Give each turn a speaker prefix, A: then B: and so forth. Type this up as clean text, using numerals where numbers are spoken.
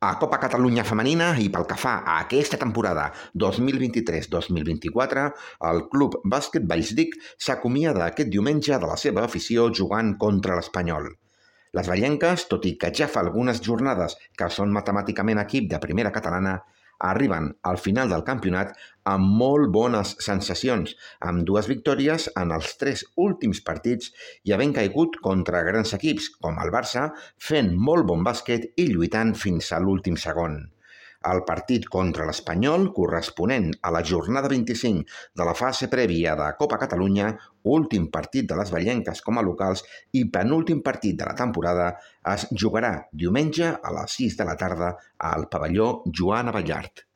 A: A Copa Catalunya Femenina i pel que fa a aquesta temporada 2023-2024, el Club Bàsquet Vallsdic s'acomiada aquest diumenge de la seva afició jugant contra l'Espanyol. Les vallenques, tot i que ja fa algunes jornades que són matemàticament equip de primera catalana, arriben al final del campionat amb molt bones sensacions, amb 2 victòries en els 3 últims partits i havent caigut contra grans equips, com el Barça, fent molt bon bàsquet i lluitant fins a l'últim segon. El partit contra l'Espanyol, corresponent a la jornada 25 de la fase prèvia de Copa Catalunya, últim partit de les vallenques com a locals i penúltim partit de la temporada, es jugarà diumenge a les 6 de la tarda al pavelló Joan Abellart.